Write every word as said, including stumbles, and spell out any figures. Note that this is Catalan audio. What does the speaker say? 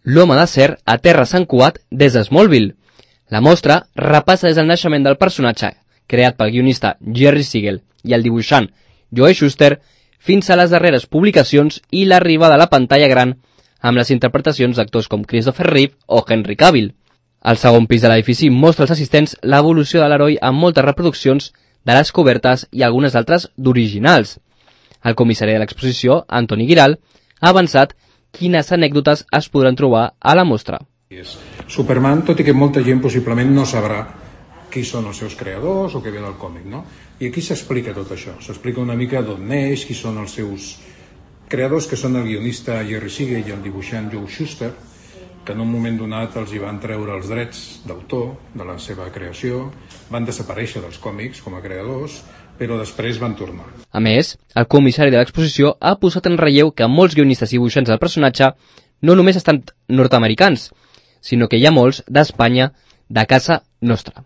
L'home d'acer a terra Sant Cugat des de Smallville. La mostra repassa des del naixement del personatge, creat pel guionista Jerry Siegel i el dibuixant Joe Shuster, fins a les darreres publicacions i l'arribada a la pantalla gran amb les interpretacions d'actors com Christopher Reeve o Henry Cavill. El segon pis de l'edifici mostra als assistents l'evolució de l'heroi amb moltes reproduccions de les cobertes i algunes altres d'originals. El comissari de l'exposició, Antoni Giral, ha avançat quines anècdotes es podran trobar a la mostra. Superman, tot i que molta gent possiblement no sabrà qui són els seus creadors o què ve del còmic, no? I aquí s'explica tot això, s'explica una mica d'on neix, qui són els seus creadors, que són el guionista Jerry Siegel i el dibuixant Joe Shuster, que en un moment donat els hi van treure els drets d'autor de la seva creació, van desaparèixer dels còmics com a creadors, però després van tornar. A més, el comissari de l'exposició ha posat en relleu que molts guionistes i dibuixants del personatge no només estan nord-americans, sinó que hi ha molts d'Espanya, de casa nostra.